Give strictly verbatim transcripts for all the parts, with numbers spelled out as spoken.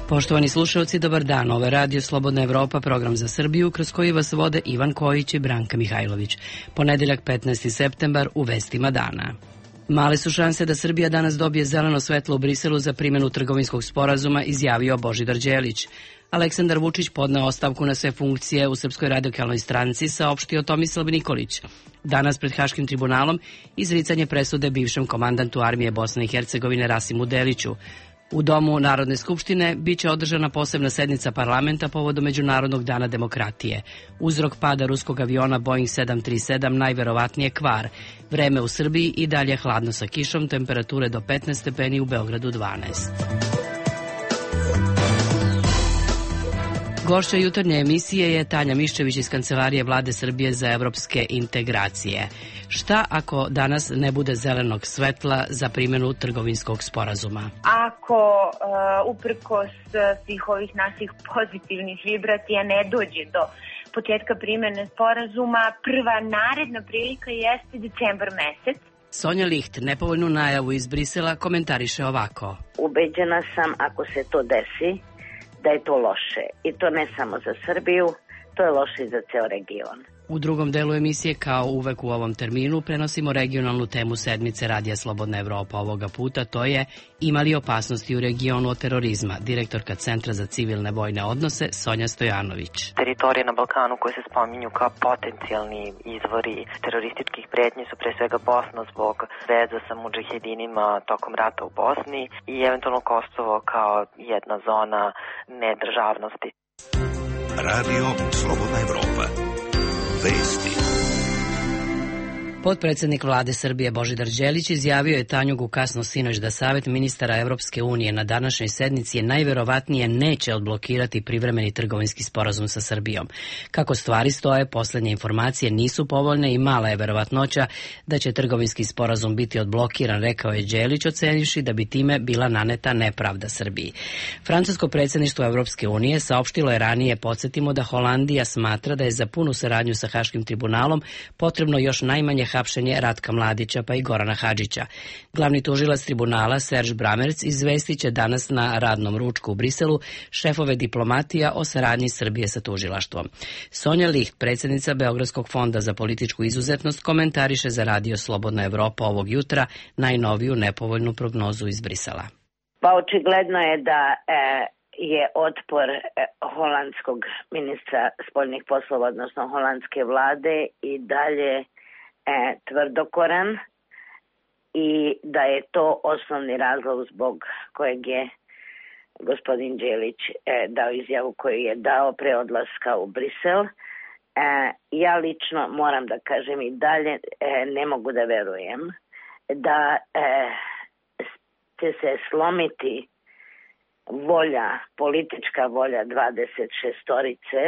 Poštovani slušalci, dobar dan. Ovo je Radio Slobodna Evropa, program za Srbiju, kroz koji vas vode Ivan Kojić i Branka Mihajlović. Ponedeljak petnaesti septembar u vestima dana. Male su šanse da Srbija danas dobije zeleno svetlo u Briselu za primjenu trgovinskog sporazuma, izjavio Božidar Đelić. Aleksandar Vučić podneo ostavku na sve funkcije u Srpskoj radikalnoj stranci, saopštio Tomislav Nikolić. Danas pred Haškim tribunalom izricanje presude bivšem komandantu armije Bosne i Hercegovine Rasimu Deliću. U Domu Narodne skupštine biće održana posebna sednica parlamenta povodom Međunarodnog dana demokratije. Uzrok pada ruskog aviona Boeing sedam tri sedam najverovatnije kvar. Vreme u Srbiji i dalje hladno sa kišom, temperature do petnaest stepeni, u Beogradu dvanaest. Gošća jutarnje emisije je Tanja Miščević iz Kancelarije Vlade Srbije za evropske integracije. Šta ako danas ne bude zelenog svetla za primjenu trgovinskog sporazuma? Ako uh, uprkos svih ovih naših pozitivnih vibracija ne dođe do početka primjene sporazuma, prva naredna prilika jeste decembar mesec. Sonja Licht nepovoljnu najavu iz Brisela komentariše ovako. Ubeđena sam, ako se to desi, da je to loše. I to ne samo za Srbiju, to je loše i za ceo region. U drugom delu emisije, kao uvek u ovom terminu, prenosimo regionalnu temu sedmice Radija Slobodna Evropa. Ovoga puta to je ima li opasnosti u regionu od terorizma. Direktorka Centra za civilne vojne odnose Sonja Stojanović. Teritorije na Balkanu koje se spominju kao potencijalni izvori terorističkih pretnji su pre svega Bosna zbog veza sa mudžahedinima tokom rata u Bosni i eventualno Kosovo kao jedna zona nedržavnosti. Radio Slobodna Evropa. Vesti. Potpredsednik Vlade Srbije Božidar Đelić izjavio je Tanjugu kasno sinoć da Savet ministara Evropske unije na današnjoj sednici je najverovatnije neće odblokirati privremeni trgovinski sporazum sa Srbijom. Kako stvari stoje, poslednje informacije nisu povoljne i mala je verovatnoća da će trgovinski sporazum biti odblokiran, rekao je Đelić, ocenivši da bi time bila naneta nepravda Srbiji. Francusko predsjedništvo Evropske unije saopštilo je ranije, podsjetimo, da Holandija smatra da je za punu saradnju sa Haškim tribunalom potrebno još najmanje hapšenje Ratka Mladića pa i Gorana Hadžića. Glavni tužilac tribunala Serge Bramerc izvestit će danas na radnom ručku u Briselu šefove diplomatija o saradnji Srbije sa tužilaštvom. Sonja Licht, predsjednica Beogradskog fonda za političku izuzetnost, komentariše za Radio Slobodna Evropa ovog jutra najnoviju nepovoljnu prognozu iz Brisela. Pa očigledno je da e, je otpor e, holandskog ministra spoljnih poslova, odnosno holandske vlade, i dalje E, tvrdokoran i da je to osnovni razlog zbog kojeg je gospodin Đelić e, dao izjavu koju je dao pre odlaska u Brisel. E, ja lično moram da kažem i dalje e, ne mogu da verujem da e, će se slomiti volja, politička volja dvadeset šestorice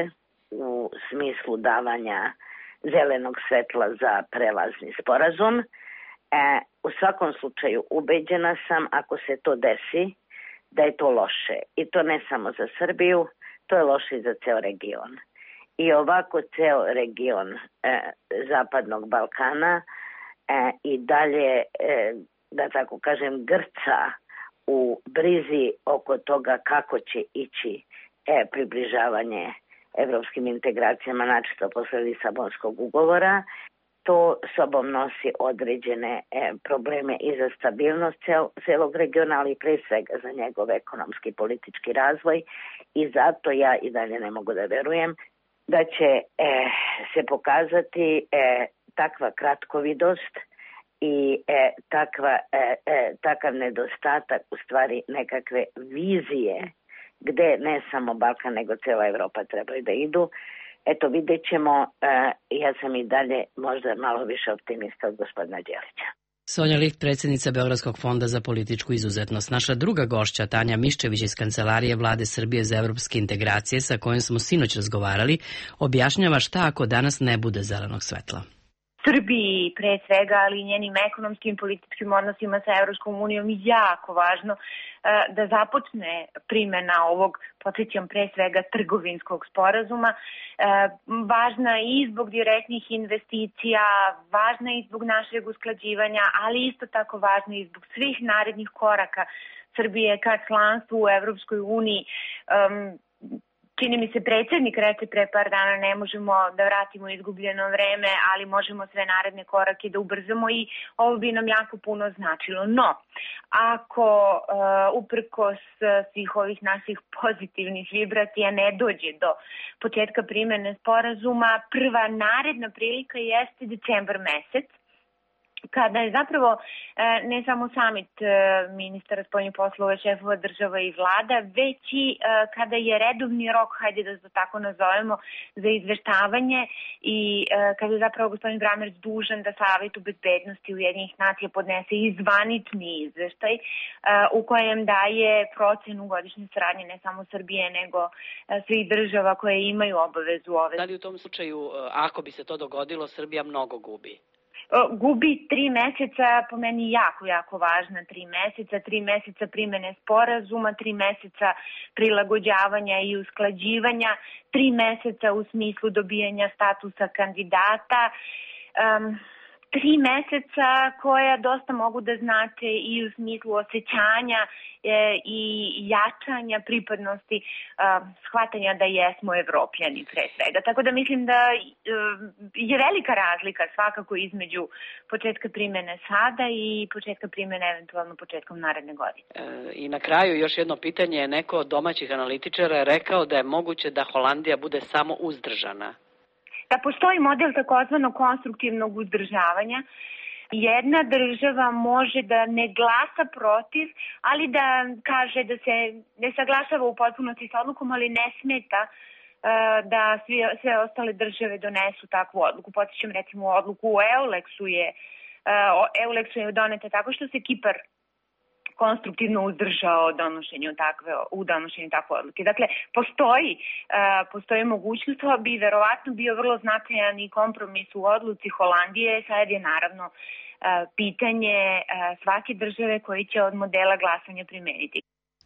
u smislu davanja zelenog svetla za prelazni sporazum. E, u svakom slučaju ubeđena sam, ako se to desi, da je to loše. I to ne samo za Srbiju, to je loše i za ceo region. I ovako ceo region e, Zapadnog Balkana e, i dalje, e, da tako kažem, grca u brizi oko toga kako će ići e, približavanje evropskim integracijama, načito posle Lisabonskog ugovora. To sobom nosi određene e, probleme i za stabilnost cel, celog regiona, ali pre svega za njegov ekonomski i politički razvoj, i zato ja i dalje ne mogu da verujem da će e, se pokazati e, takva kratkovidost i e, takva, e, e, takav nedostatak, u stvari nekakve vizije gde ne samo Balkan nego cela Evropa trebaju da idu. Eto, vidjet ćemo, e, ja sam i dalje možda malo više optimista od gospodina Đelića. Sonja Licht, predsjednica Beogradskog fonda za političku izuzetnost. Naša druga gošća, Tanja Miščević iz Kancelarije Vlade Srbije za evropske integracije, sa kojom smo sinoć razgovarali, objašnjava šta ako danas ne bude zelenog svetla. Srbiji pre svega, ali i njenim ekonomskim i političkim odnosima sa Evropskom unijom jako važno da započne primjena ovog, podsjećam, pre svega trgovinskog sporazuma. Važna i zbog direktnih investicija, važna i zbog našeg usklađivanja, ali isto tako važna i zbog svih narednih koraka Srbije ka članstvu u Evropskoj uniji. Um, Čini mi se predsjednik reče pre par dana ne možemo da vratimo izgubljeno vreme, ali možemo sve naredne korake da ubrzamo i ovo bi nam jako puno značilo. No, ako uh, uprkos svih ovih naših pozitivnih vibracija ne dođe do početka primene sporazuma, prva naredna prilika jeste decembar mesec, kada je zapravo ne samo samit ministara spoljnih poslova, šefova država i vlada, već i kada je redovni rok, hajde da to tako nazovemo, za izveštavanje i kada je zapravo gospodin Bramerc dužan da Savetu bezbednosti Ujedinjenih nacija podnese i zvanični izveštaj u kojem daje procenu godišnje saradnje ne samo Srbije, nego svih država koje imaju obavezu ove. Da li u tom slučaju, ako bi se to dogodilo, Srbija mnogo gubi? Gubi tri meseca, po meni jako, jako važna tri meseca, tri meseca primene sporazuma, tri meseca prilagođavanja i usklađivanja, tri meseca u smislu dobijanja statusa kandidata, um, tri meseca koja dosta mogu da znače i u smislu osjećanja e, i jačanja pripadnosti, e, shvatanja da jesmo Evropljani pre svega. Tako da mislim da e, je velika razlika svakako između početka primene sada i početka primene eventualno početkom naredne godine. E, I na kraju još jedno pitanje. Neko od domaćih analitičara je rekao da je moguće da Holandija bude samo uzdržana. Da postoji model takozvanog konstruktivnog uzdržavanja. Jedna država može da ne glasa protiv, ali da kaže da se ne saglašava u potpunosti s odlukom, ali ne smeta uh, da svi, sve ostale države donesu takvu odluku. Podsjećam recimo odluku u Euleksu je, uh, Euleksu je doneta tako što se Kipar konstruktivno uzdržao donošenju takve, u donošenju takve odluke. Dakle, postoji, uh, postoji mogućnost, to bi verovatno bio vrlo značajan i kompromis u odluci Holandije, sad je naravno uh, pitanje uh, svake države koji će od modela glasanja primeniti.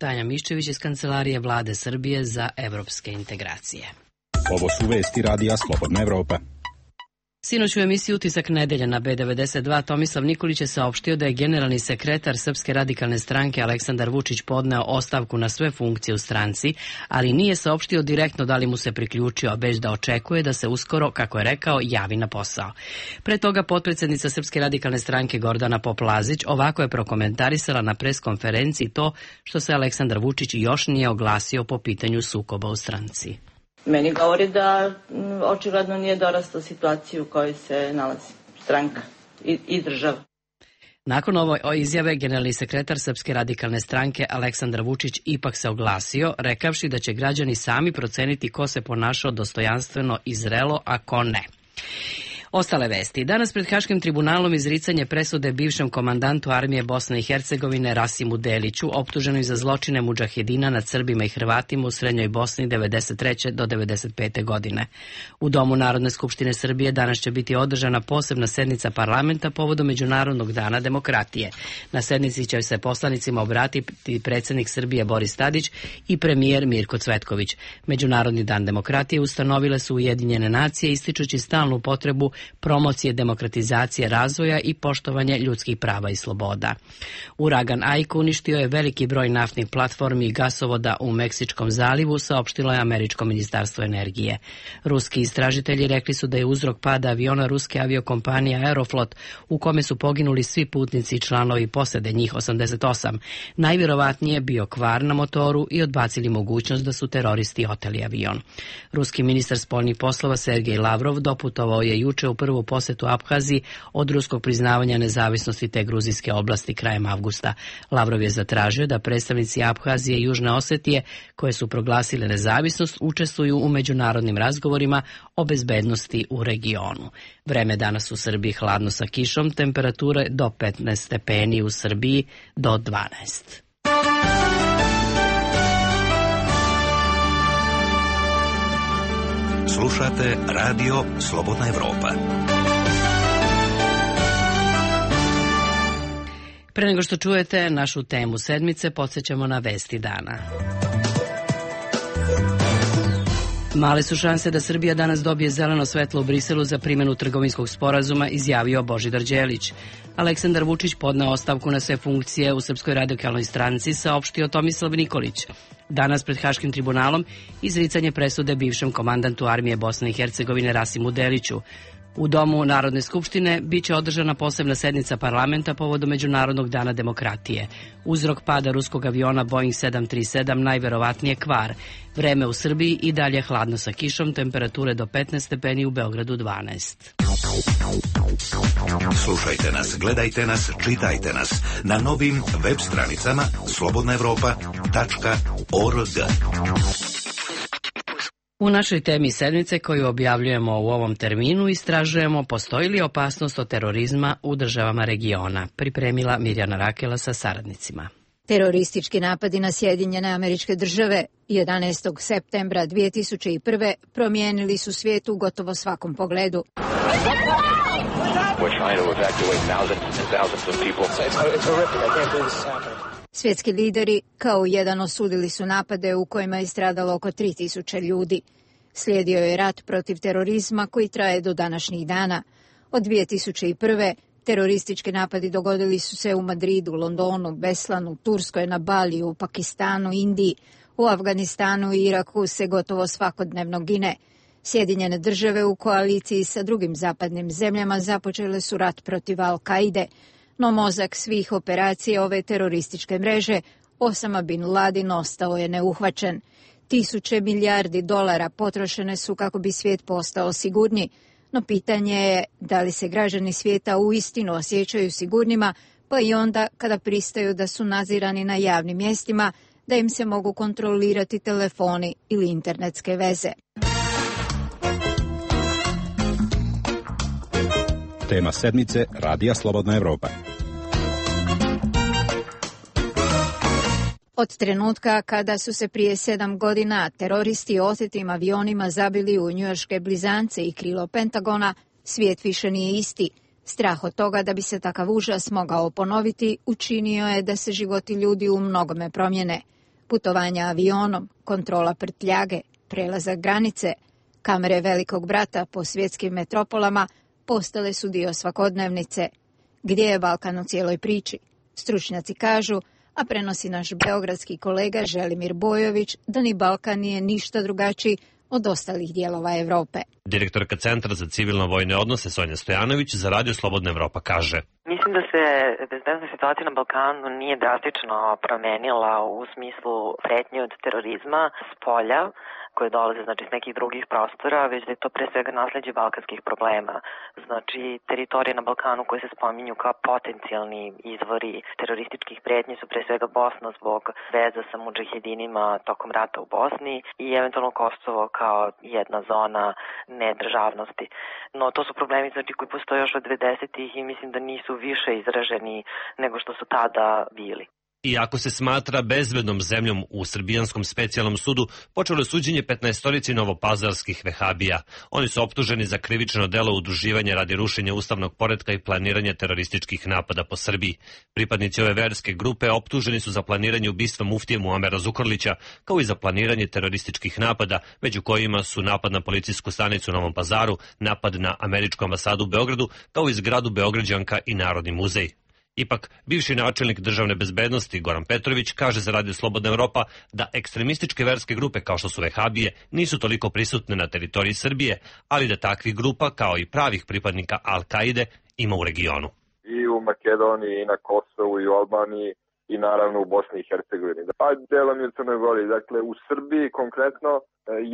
Tanja Miščević iz Kancelarije Vlade Srbije za evropske integracije. Ovo su vesti radija Slobodna Evropa. Sinoć u emisiji Utisak nedelje na B devedeset dva Tomislav Nikolić je saopštio da je generalni sekretar Srpske radikalne stranke Aleksandar Vučić podneo ostavku na sve funkcije u stranci, ali nije saopštio direktno da li mu se priključio, već da očekuje da se uskoro, kako je rekao, javi na posao. Pre toga potpredsednica Srpske radikalne stranke Gordana Poplazić ovako je prokomentarisala na preskonferenciji to što se Aleksandar Vučić još nije oglasio po pitanju sukoba u stranci. Meni govori da očigledno nije dorastao situaciju u kojoj se nalazi stranka i, i država. Nakon ove izjave, generalni sekretar Srpske radikalne stranke Aleksandar Vučić ipak se oglasio, rekavši da će građani sami proceniti ko se ponašao dostojanstveno i zrelo, a ko ne. Ostale vesti. Danas pred Haškim tribunalom izricanje presude bivšem komandantu armije Bosne i Hercegovine Rasimu Deliću, optuženoj za zločine mudžahedina nad Srbima i Hrvatima u Srednjoj Bosni devedeset treće do devedeset pete godine. U Domu Narodne skupštine Srbije danas će biti održana posebna sednica parlamenta povodom Međunarodnog dana demokratije. Na sednici će se poslanicima obratiti predsjednik Srbije Boris Tadić i premijer Mirko Cvetković. Međunarodni dan demokratije ustanovile su Ujedinjene nacije ističući stalnu potrebu promocije demokratizacije razvoja i poštovanje ljudskih prava i sloboda. Uragan Aika uništio je veliki broj naftnih platformi i gasovoda u Meksičkom zalivu, saopštilo je Američko ministarstvo energije. Ruski istražitelji rekli su da je uzrok pada aviona ruske aviokompanije Aeroflot, u kome su poginuli svi putnici i članovi posade, njih osamdeset osam. Najvjerovatnije bio kvar na motoru i odbacili mogućnost da su teroristi oteli avion. Ruski ministar spoljnih poslova Sergej Lavrov doputovao je juče u prvu posetu Abhaziji od ruskog priznavanja nezavisnosti te gruzijske oblasti krajem avgusta. Lavrov je zatražio da predstavnici Abhazije i Južne Osetije, koje su proglasile nezavisnost, učestvuju u međunarodnim razgovorima o bezbednosti u regionu. Vreme danas u Srbiji hladno sa kišom, temperature do petnaest stepeni, u Srbiji do dvanaest. Slušate radio Slobodna Evropa. Pre nego što čujete našu temu sedmice, podsjećamo na vesti dana. Male su šanse da Srbija danas dobije zeleno svetlo u Briselu za primjenu trgovinskog sporazuma, izjavio Božidar Đelić. Aleksandar Vučić podneo ostavku na sve funkcije u Srpskoj radikalnoj stranci, saopštio Tomislav Nikolić. Danas pred Haškim tribunalom izricanje presude bivšem komandantu armije Bosne i Hercegovine Rasimu Deliću. U Domu Narodne skupštine biće održana posebna sednica parlamenta povodom Međunarodnog dana demokratije. Uzrok pada ruskog aviona Boeing sedam tri sedam najverovatnije kvar. Vreme u Srbiji i dalje hladno sa kišom, temperature do petnaest stepeni, u Beogradu dvanaest. Slušajte nas, gledajte nas, čitajte nas na novim web stranicama slobodna evropa tačka org. U našoj temi sedmice koju objavljujemo u ovom terminu istražujemo postoji li opasnost od terorizma u državama regiona. Pripremila Mirjana Rakela sa saradnicima. Teroristički napadi na Sjedinjene Američke Države jedanaestog septembra dve tisuće prve. promijenili su svijet u gotovo svakom pogledu. Svjetski lideri kao jedan osudili su napade u kojima je stradalo oko tri tisuće ljudi. Slijedio je rat protiv terorizma koji traje do današnjih dana. Od dve tisuće prve. teroristički napadi dogodili su se u Madridu, Londonu, Beslanu, Turskoj, na Baliju, Pakistanu, Indiji. U Afganistanu i Iraku se gotovo svakodnevno gine. Sjedinjene države u koaliciji sa drugim zapadnim zemljama započele su rat protiv Al-Kaide, no mozak svih operacija ove terorističke mreže, Osama bin Laden, ostao je neuhvaćen. Tisuće milijardi dolara potrošene su kako bi svijet postao sigurniji, no pitanje je da li se građani svijeta uistinu osjećaju sigurnima, pa i onda kada pristaju da su nadzirani na javnim mjestima, da im se mogu kontrolirati telefoni ili internetske veze. Tema sedmice Radija Slobodna Evropa. Od trenutka kada su se prije sedam godina teroristi otetim avionima zabili u njujorške blizance i krilo Pentagona, svijet više nije isti. Strah od toga da bi se takav užas mogao ponoviti učinio je da se životi ljudi u mnogome promjene. Putovanja avionom, kontrola prtljage, prelazak granice, kamere velikog brata po svjetskim metropolama postale su dio svakodnevnice. Gdje je Balkan u cijeloj priči? Stručnjaci kažu, a prenosi naš beogradski kolega Želimir Bojović, da ni Balkan nije ništa drugačiji od ostalih dijelova Evrope. Direktorka Centra za civilno-vojne odnose Sonja Stojanović za Radio Slobodna Evropa kaže: Mislim da se bezbednosna situacija na Balkanu nije drastično promenila u smislu pretnje od terorizma s polja, koje dolaze znači s nekih drugih prostora, već da je to pre svega nasleđe balkanskih problema. Znači, teritorije na Balkanu koje se spominju kao potencijalni izvori terorističkih pretnji su pre svega Bosna zbog veza sa mudžahedinima tokom rata u Bosni i eventualno Kosovo kao jedna zona nedržavnosti. No, to su problemi znači, koji postoje još od devedesetih i mislim da nisu više izraženi nego što su tada bili. Iako se smatra bezbednom zemljom, u Srbijanskom specijalnom sudu počelo je suđenje petnaestorici novopazarskih vehabija. Oni su optuženi za krivično delo udruživanja radi rušenja ustavnog poretka i planiranja terorističkih napada po Srbiji. Pripadnici ove verske grupe optuženi su za planiranje ubistva muftije Muamera Zukorlića, kao i za planiranje terorističkih napada, među kojima su napad na policijsku stanicu u Novom Pazaru, napad na američku ambasadu u Beogradu, kao i zgradu Beograđanka i Narodni muzej. Ipak, bivši načelnik državne bezbednosti Goran Petrović kaže za Radio Slobodna Evropa da ekstremističke verske grupe kao što su vehabije nisu toliko prisutne na teritoriji Srbije, ali da takvih grupa kao i pravih pripadnika Al-Kaide ima u regionu. I u Makedoniji, i na Kosovu, i u Albaniji, i naravno u Bosni i Hercegovini. Pa delom i u Crnoj Gori. Dakle, u Srbiji konkretno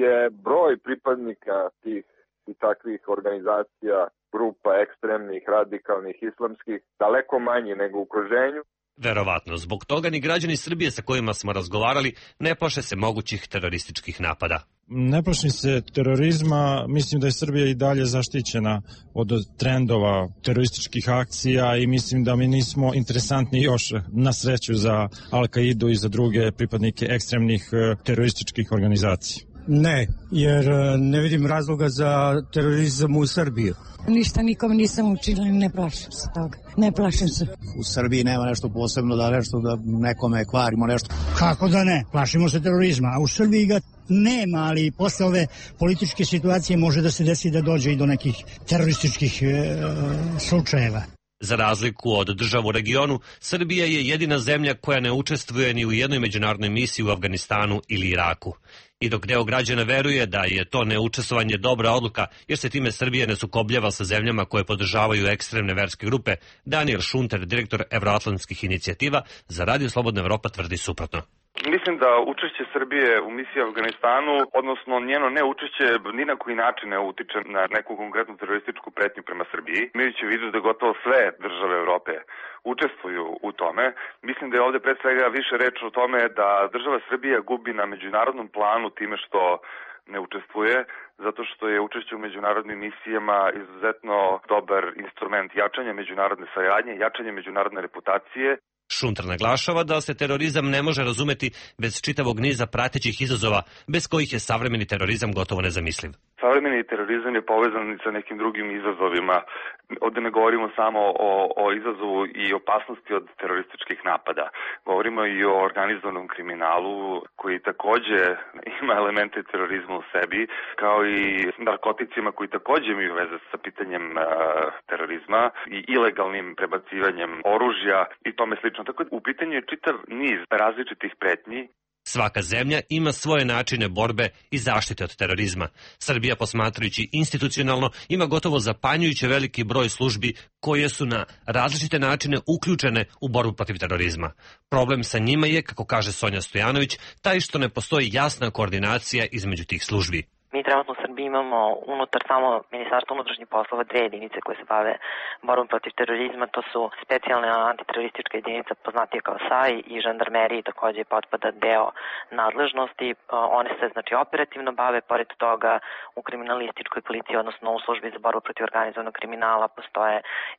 je broj pripadnika tih i takvih organizacija, grupa ekstremnih, radikalnih, islamskih, daleko manji nego u okruženju. Verovatno, zbog toga ni građani Srbije sa kojima smo razgovarali ne plaše se mogućih terorističkih napada. Ne plašim se terorizma, mislim da je Srbija i dalje zaštićena od trendova terorističkih akcija i mislim da mi nismo interesantni još na sreću za Al-Kaidu i za druge pripadnike ekstremnih terorističkih organizacija. Ne, jer ne vidim razloga za terorizam u Srbiji. Ništa nikom nisam učinila, ne plašim se toga. Ne plašim se. U Srbiji nema nešto posebno da nešto da nekome kvarimo nešto. Kako da ne? Plašimo se terorizma, a u Srbiji ga nema, ali posle ove političke situacije može da se desi da dođe i do nekih terorističkih e, slučajeva. Za razliku od država u regionu, Srbija je jedina zemlja koja ne učestvuje ni u jednoj međunarodnoj misiji u Afganistanu ili Iraku. I dok deo građana veruje da je to neučestvovanje dobra odluka, jer se time Srbija ne sukobljava sa zemljama koje podržavaju ekstremne verske grupe, Daniel Šunter, direktor Evroatlantskih inicijativa, za Radio Slobodna Evropa tvrdi suprotno. Mislim da učešće Srbije u misiji u Afganistanu, odnosno njeno neučešće, ni na koji način ne utiče na neku konkretnu terorističku pretnju prema Srbiji. Imajući u vidu da gotovo sve države Evrope učestvuju u tome, mislim da je ovde pre svega više reč o tome da država Srbija gubi na međunarodnom planu time što ne učestvuje, zato što je učešće u međunarodnim misijama izuzetno dobar instrument jačanja međunarodne saradnje, jačanja međunarodne reputacije. Šunter naglašava da se terorizam ne može razumeti bez čitavog niza pratećih izazova, bez kojih je savremeni terorizam gotovo nezamisliv. Savremeni terorizam je povezan sa nekim drugim izazovima. Ovde ne govorimo samo o, o izazovu i opasnosti od terorističkih napada. Govorimo i o organizovanom kriminalu koji takođe ima elemente terorizma u sebi, kao i narkoticima koji takođe imaju veze sa pitanjem a, terorizma i ilegalnim prebacivanjem oružja i tome slično. Tako u pitanju je čitav niz različitih pretnji. Svaka zemlja ima svoje načine borbe i zaštite od terorizma. Srbija, posmatrajući institucionalno, ima gotovo zapanjujuće veliki broj službi koje su na različite načine uključene u borbu protiv terorizma. Problem sa njima je, kako kaže Sonja Stojanović, taj što ne postoji jasna koordinacija između tih službi. Mi trenutno u Srbiji imamo unutar samo Ministarstva unutrašnjih poslova dve jedinice koje se bave borbom protiv terorizma. To su specijalna antiteroristička jedinica poznatija kao S A I i žandarmeriji takođe potpada deo nadležnosti. One se znači operativno bave, pored toga u kriminalističkoj policiji, odnosno u službi za borbu protiv organizovanog kriminala postoje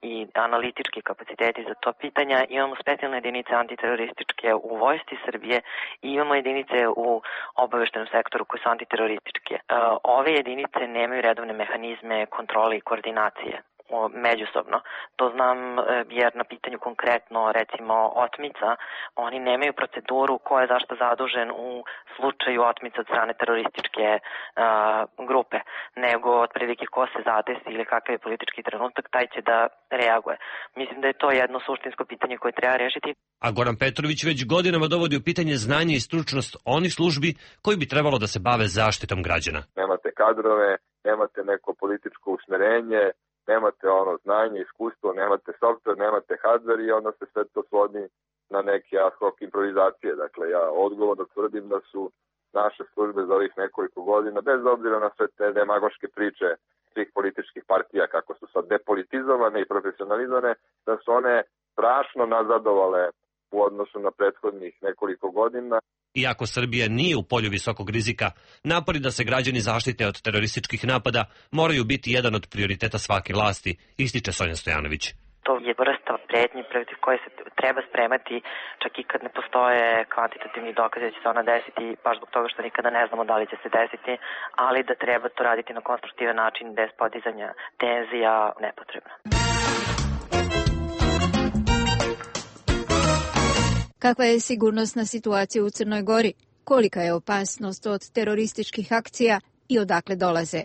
i analitički kapaciteti za to pitanja. Imamo specijalne jedinice antiterorističke u vojsci Srbije i imamo jedinice u obaveštenom sektoru koje su antiterorističke. Ove jedinice nemaju redovne mehanizme kontrole i koordinacije međusobno. To znam jer na pitanju konkretno, recimo, otmica, oni nemaju proceduru ko je zašto zadužen u slučaju otmica od strane terorističke uh, grupe, nego otprilike ko se zadesi ili kakav je politički trenutak, taj će da reaguje. Mislim da je to jedno suštinsko pitanje koje treba rešiti. A Goran Petrović već godinama dovodi u pitanje znanje i stručnost onih službi koji bi trebalo da se bave zaštitom građana. Nemate kadrove, nemate neko političko usmerenje, nemate ono znanje, iskustvo, nemate software, nemate hardware i onda se sve to svodi na neke ad hoc improvizacije. Dakle, ja odgovorno tvrdim da su naše službe za ovih nekoliko godina, bez obzira na sve te demagoške priče svih političkih partija, kako su sad depolitizovane i profesionalizovane, da su one strašno nazadovale u odnosu na prethodnih nekoliko godina. Iako Srbija nije u polju visokog rizika, napori da se građani zaštite od terorističkih napada moraju biti jedan od prioriteta svake vlasti, ističe Sonja Stojanović. To je vrsta pretnji protiv koje se treba spremati, čak i kad ne postoje kvantitativni dokazi da će se ona desiti, baš zbog toga što nikada ne znamo da li će se desiti, ali da treba to raditi na konstruktivan način bez podizanja tenzija nepotrebno. Kakva je sigurnosna situacija u Crnoj Gori? Kolika je opasnost od terorističkih akcija i odakle dolaze?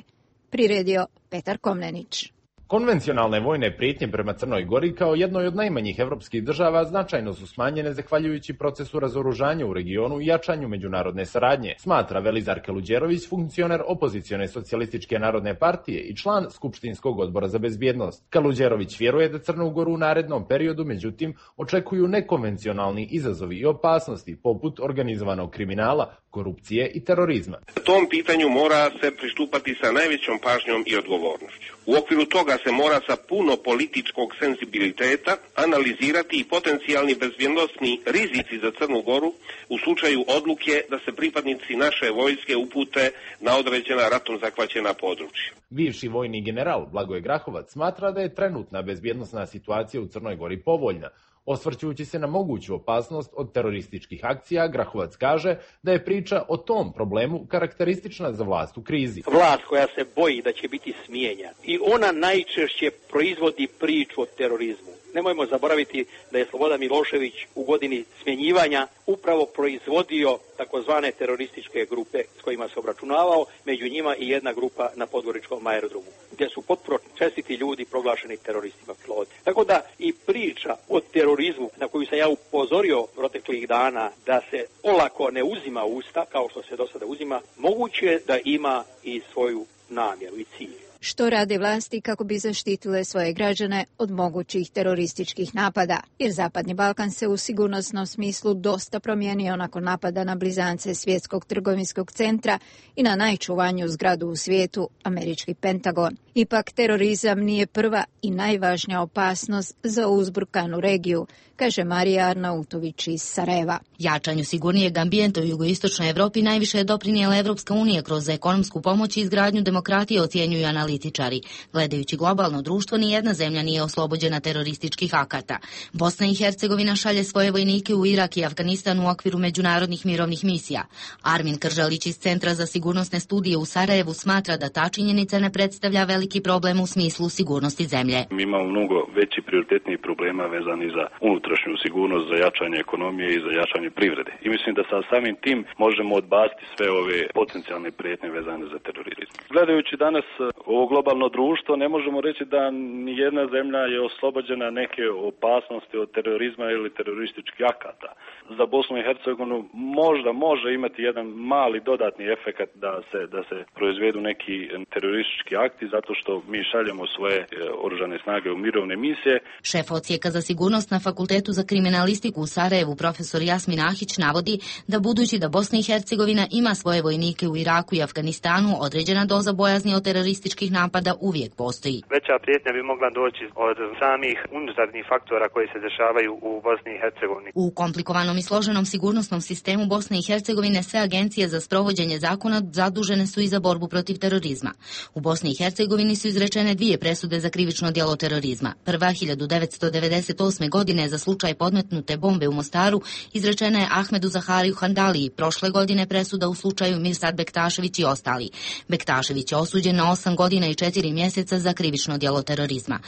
Priredio Petar Komnenić. Konvencionalne vojne prijetnje prema Crnoj Gori kao jednoj od najmanjih evropskih država značajno su smanjene zahvaljujući procesu razoružanja u regionu i jačanju međunarodne saradnje, smatra Velizar Kaluđerović, funkcioner opozicione socijalističke narodne partije i član Skupštinskog odbora za bezbjednost. Kaluđerović vjeruje da Crnu Goru u narednom periodu, međutim, očekuju nekonvencionalni izazovi i opasnosti poput organizovanog kriminala, korupcije i terorizma. Tom pitanju mora se pristupati sa najvećom pažnjom i odgovornošću. U okviru toga se mora sa puno političkog senzibiliteta analizirati i potencijalni bezbjednosni rizici za Crnu Goru u slučaju odluke da se pripadnici naše vojske upute na određena ratom zahvaćena područja. Bivši vojni general Blagoje Grahovac smatra da je trenutna bezbjednosna situacija u Crnoj Gori povoljna. Osvrćujući se na moguću opasnost od terorističkih akcija, Grahovac kaže da je priča o tom problemu karakteristična za vlast u krizi. Vlast koja se boji da će biti smijenjena i ona najčešće proizvodi priču o terorizmu. Nemojmo zaboraviti da je Slobodan Milošević u godini smjenjivanja upravo proizvodio takozvane terorističke grupe s kojima se obračunavao, među njima i jedna grupa na podgoričkom aerodromu, gdje su potpuno čestiti ljudi proglašeni teroristima piloti. Tako da i priča o terorizmu na koju sam ja upozorio proteklih dana da se olako ne uzima u usta kao što se do sada uzima, moguće je da ima i svoju namjeru i cilj. Što rade vlasti kako bi zaštitile svoje građane od mogućih terorističkih napada, jer Zapadni Balkan se u sigurnosnom smislu dosta promijenio nakon napada na blizance Svjetskog trgovinskog centra i na najčuvaniju zgradu u svijetu, američki Pentagon. Ipak terorizam nije prva i najvažnija opasnost za uzburkanu regiju, kaže Marija Arnautović iz Sarajeva. Jačanju sigurnijeg ambijenta u jugoistočnoj Evropi najviše je doprinijela Evropska unija kroz ekonomsku pomoć i izgradnju demokratije, ocjenjuju analitičari. Gledajući globalno društvo, nijedna zemlja nije oslobođena terorističkih akata. Bosna i Hercegovina šalje svoje vojnike u Irak i Afganistan u okviru međunarodnih mirovnih misija. Armin Kržalić iz Centra za sigurnosne studije u Sarajevu smatra da ta činjenica ne predstavlja veliki problem u smislu sigurnosti zemlje. Mi imamo mnogo veći prioritetnih problema vezani za unutrašnju sigurnost, za jačanje ekonomije i za jačanje privrede. I mislim da sa samim tim možemo odbaciti sve ove potencijalne prijetnje vezane za terorizam. Gledajući danas ovo globalno društvo, ne možemo reći da nijedna zemlja je oslobođena neke opasnosti od terorizma ili terorističkih akata. Za Bosnu i Hercegovinu možda može imati jedan mali dodatni efekat da se, da se proizvedu neki teroristički akti zato što mi šaljemo svoje oružane snage u mirovne misije. Šef odsjeka za sigurnost na Fakultetu za kriminalistiku u Sarajevu, profesor Jasmin Ahić, navodi da budući da Bosna i Hercegovina ima svoje vojnike u Iraku i Afganistanu, određena doza bojazni od terorističkih napada uvijek postoji. Veća prijetnja bi mogla doći od samih unutarnjih faktora koji se dešavaju u Bosni i Hercegovini. U komplikovanom i složenom sigurnosnom sistemu Bosne i Hercegovine sve agencije za sprovođenje zakona zadužene su i za borbu protiv terorizma. U Bosni i Hercegovini su izrečene dvije presude za krivično djelo terorizma. Prva hiljadu devetsto devedeset osme. godine za slučaj podmetnute bombe u Mostaru izrečena je Ahmedu Zahariju Handaliji. Prošle godine presuda u slučaju Mirsad Bektašević i ostali. Bektašević je osuđen na osam godina i četiri mjeseca za krivično djelo terorizma.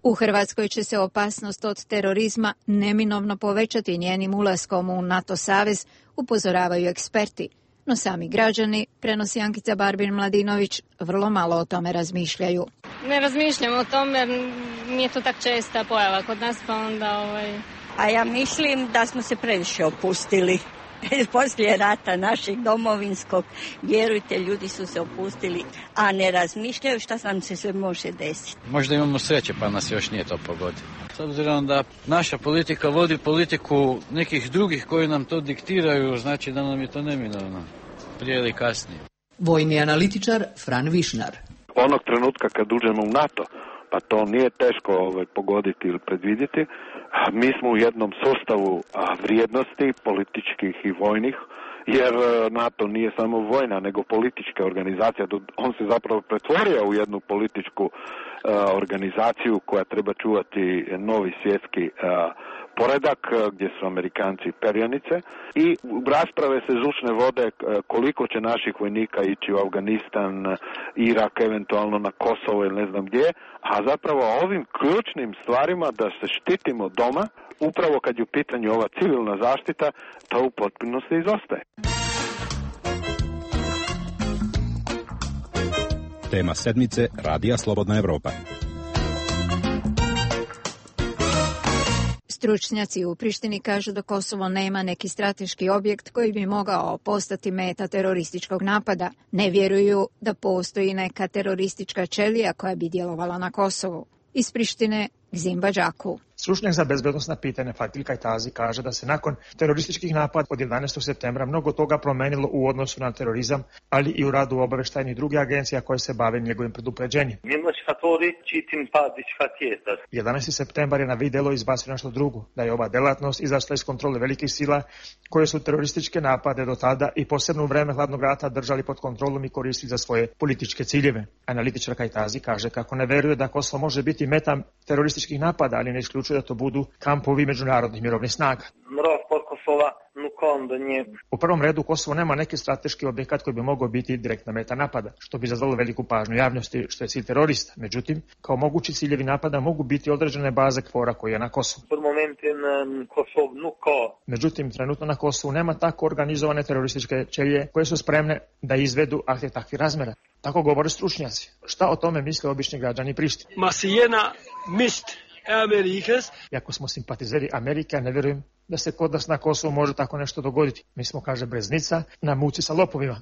U Hrvatskoj će se opasnost od terorizma neminovno povećati njenim ulaskom u NATO savez, upozoravaju eksperti. No sami građani, prenosi Ankica Barbin-Mladinović, vrlo malo o tome razmišljaju. Ne razmišljam o tome jer nije to tak česta pojava kod nas, pa onda... Ovaj... A ja mislim da smo se previše opustili. Poslije rata našeg domovinskog, vjerujte, ljudi su se opustili, a ne razmišljaju šta nam se sve može desiti. Možda imamo sreće pa nas još nije to pogodilo. S obzirom da naša politika vodi politiku nekih drugih koji nam to diktiraju, znači da nam je to neminovno, prije ili kasnije. Vojni analitičar Fran Višnar. Onog trenutka kad uđemo u NATO, pa to nije teško ovaj, pogoditi ili predvidjeti, mi smo u jednom sustavu vrijednosti, političkih i vojnih, jer NATO nije samo vojna, nego politička organizacija. On se zapravo pretvorio u jednu političku uh, organizaciju koja treba čuvati novi svjetski uh, poredak, gdje su Amerikanci perjanice, i rasprave se žučne vode koliko će naših vojnika ići u Afganistan, Irak, eventualno na Kosovo ili ne znam gdje, a zapravo ovim ključnim stvarima da se štitimo doma, upravo kad je u pitanju ova civilna zaštita, to u potpunosti izostaje. Tema sedmice Radija Slobodna Evropa. Stručnjaci u Prištini kažu da Kosovo nema neki strateški objekt koji bi mogao postati meta terorističkog napada. Ne vjeruju da postoji neka teroristička ćelija koja bi djelovala na Kosovu. Iz Prištine, Gzimba Đaku. Stručnjak za bezbednosna pitanja Fatil Kajtazi kaže da se nakon terorističkih napada od jedanaestog septembra mnogo toga promenilo u odnosu na terorizam, ali i u radu obaveštajnih drugih agencija koje se bave njegovim predupređenjem. jedanaesti septembar je na videlo izbacio nešto drugo, da je ova delatnost izašla iz kontrole velikih sila koje su terorističke napade do tada i posebno u vreme hladnog rata držali pod kontrolom i koristili za svoje političke ciljeve. Analitičar Kajtazi kaže kako ne veruje da Kosovo može biti meta terorističkih napada, ali ne isključuje da to budu kampovi međunarodnih mirovnih snaga. U prvom redu Kosovo nema neki strateški objekat koji bi mogao biti direktna meta napada, što bi izazvalo veliku pažnju javnosti, što je cilj terorista. Međutim, kao mogući ciljevi napada mogu biti određene baze KFOR-a koji je na Kosovu. Međutim, trenutno na Kosovu nema tako organizovane terorističke ćelije koje su spremne da izvedu akte takvih razmera. Tako govore stručnjaci. Šta o tome misle obični građani Prištine? Masijena mist Amerikas. Iako smo simpatizeri Amerike, ne vjerujem da se kod nas na Kosovu može tako nešto dogoditi. Mi smo, kaže Breznica, na muci sa lopovima.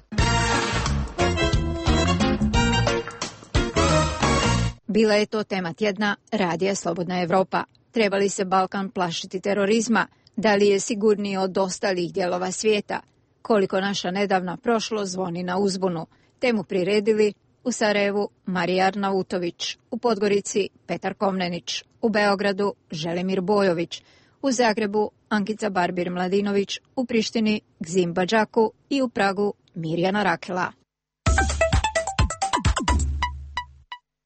Bila je to tema tjedna Radija Slobodna Evropa. Treba li se Balkan plašiti terorizma? Da li je sigurniji od ostalih dijelova svijeta? Koliko naša nedavna prošlost zvoni na uzbunu? Temu priredili u Sarajevu Marija Arnautović, u Podgorici Petar Komnenić, u Beogradu Želimir Bojović, u Zagrebu Ankica Barbir-Mladinović, u Prištini Gzim Badžaku i u Pragu Mirjana Rakela.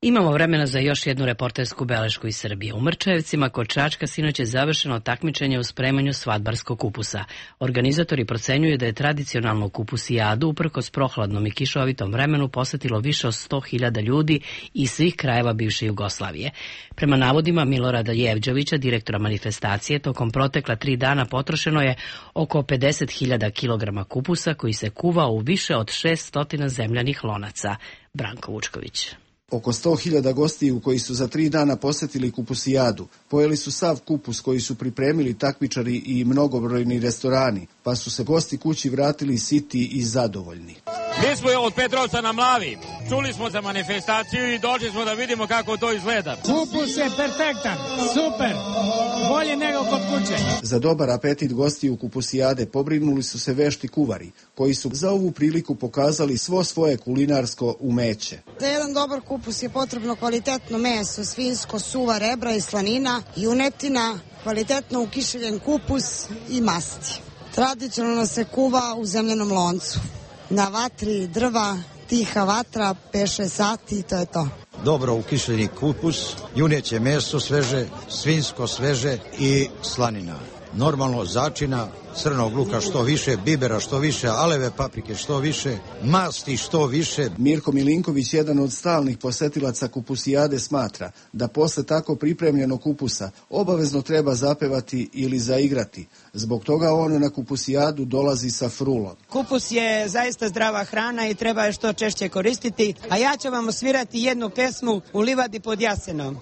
Imamo vremena za još jednu reportersku belešku iz Srbije. U Mrčajevcima kod Čačka sinoć je završeno takmičenje u spremanju svadbarskog kupusa. Organizatori procenjuju da je tradicionalnu kupusijadu uprkos prohladnom i kišovitom vremenu posetilo više od sto hiljada ljudi iz svih krajeva bivše Jugoslavije. Prema navodima Milorada Jevđovića, direktora manifestacije, tokom protekla tri dana potrošeno je oko pedeset hiljada kilograma kupusa koji se kuva u više od šest stotina zemljanih lonaca. Branko Vučković. Oko sto hiljada gostiju koji su za tri dana posjetili kupusijadu, pojeli su sav kupus koji su pripremili takmičari i mnogobrojni restorani, pa su se gosti kući vratili siti i zadovoljni. Mi smo od Petrovca na Mlavi, čuli smo za manifestaciju i došli smo da vidimo kako to izgleda. Kupus je perfektan, super, bolje nego kod kuće. Za dobar apetit gostiju kupusijade pobrinuli su se vešti kuvari, koji su za ovu priliku pokazali svo svoje kulinarsko umeće. Za jedan dobar kupus je potrebno kvalitetno meso, svinjsko, suva rebra i slanina, junetina, kvalitetno ukišeljen kupus i masti. Tradicionalno se kuva u zemljanom loncu. Na vatri drva, tiha vatra, pet šest sati i to je to. Dobro ukišljeni kupus, juneće meso sveže, svinjsko sveže i slanina. Normalno začina, crnog luka što više, bibera što više, aleve paprike što više, masti što više. Mirko Milinković, jedan od stalnih posetilaca kupusijade, smatra da posle tako pripremljenog kupusa obavezno treba zapevati ili zaigrati. Zbog toga on na kupusijadu dolazi sa frulom. Kupus je zaista zdrava hrana i treba je što češće koristiti, a ja ću vam osvirati jednu pesmu U livadi pod jasenom.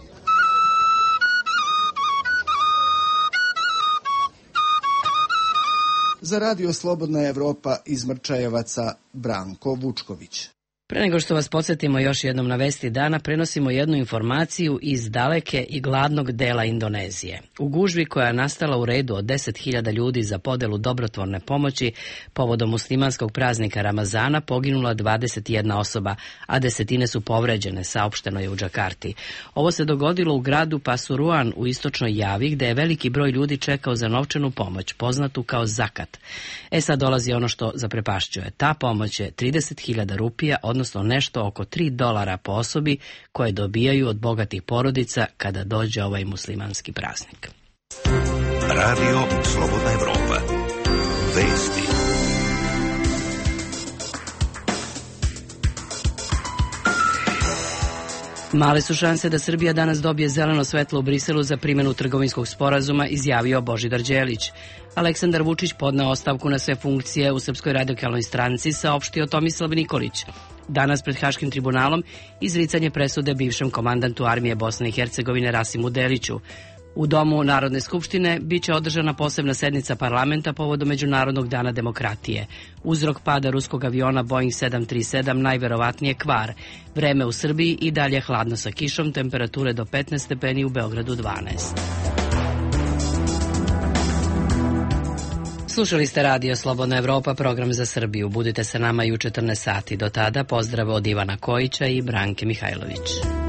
Za Radio Slobodna Evropa iz Mrčajevaca Branko Vučković. Pre nego što vas podsjetimo još jednom na vesti dana, prenosimo jednu informaciju iz daleke i gladnog dela Indonezije. U gužvi koja je nastala u redu od deset hiljada ljudi za podelu dobrotvorne pomoći povodom muslimanskog praznika Ramazana poginula dvadeset jedna osoba, a desetine su povređene, saopšteno je u Džakarti. Ovo se dogodilo u gradu Pasuruan u istočnoj Javi, gde je veliki broj ljudi čekao za novčanu pomoć, poznatu kao zakat. E sad dolazi ono što zaprepašćuje. Ta pomoć je trideset hiljada rupija, odnosno nešto oko tri dolara po osobi koje dobijaju od bogatih porodica kada dođe ovaj muslimanski praznik. Radio Slobodna Evropa. Vesti. Male su šanse da Srbija danas dobije zeleno svetlo u Briselu za primjenu trgovinskog sporazuma, izjavio Božidar Đelić. Aleksandar Vučić podneo ostavku na sve funkcije u Srpskoj radikalnoj stranci, saopštio Tomislav Nikolić. Danas pred Haškim tribunalom izricanje presude bivšem komandantu armije Bosne i Hercegovine Rasimu Deliću. U Domu Narodne skupštine biće održana posebna sednica parlamenta povodom Međunarodnog dana demokratije. Uzrok pada ruskog aviona Boeing sedam tri sedam najverovatnije kvar. Vreme u Srbiji i dalje hladno sa kišom, temperature do petnaest stepeni, u Beogradu dvanaest. Slušali ste Radio Slobodna Evropa, program za Srbiju. Budite sa nama i u četrnaest sati. Do tada pozdrav od Ivana Kojića i Branke Mihajlović.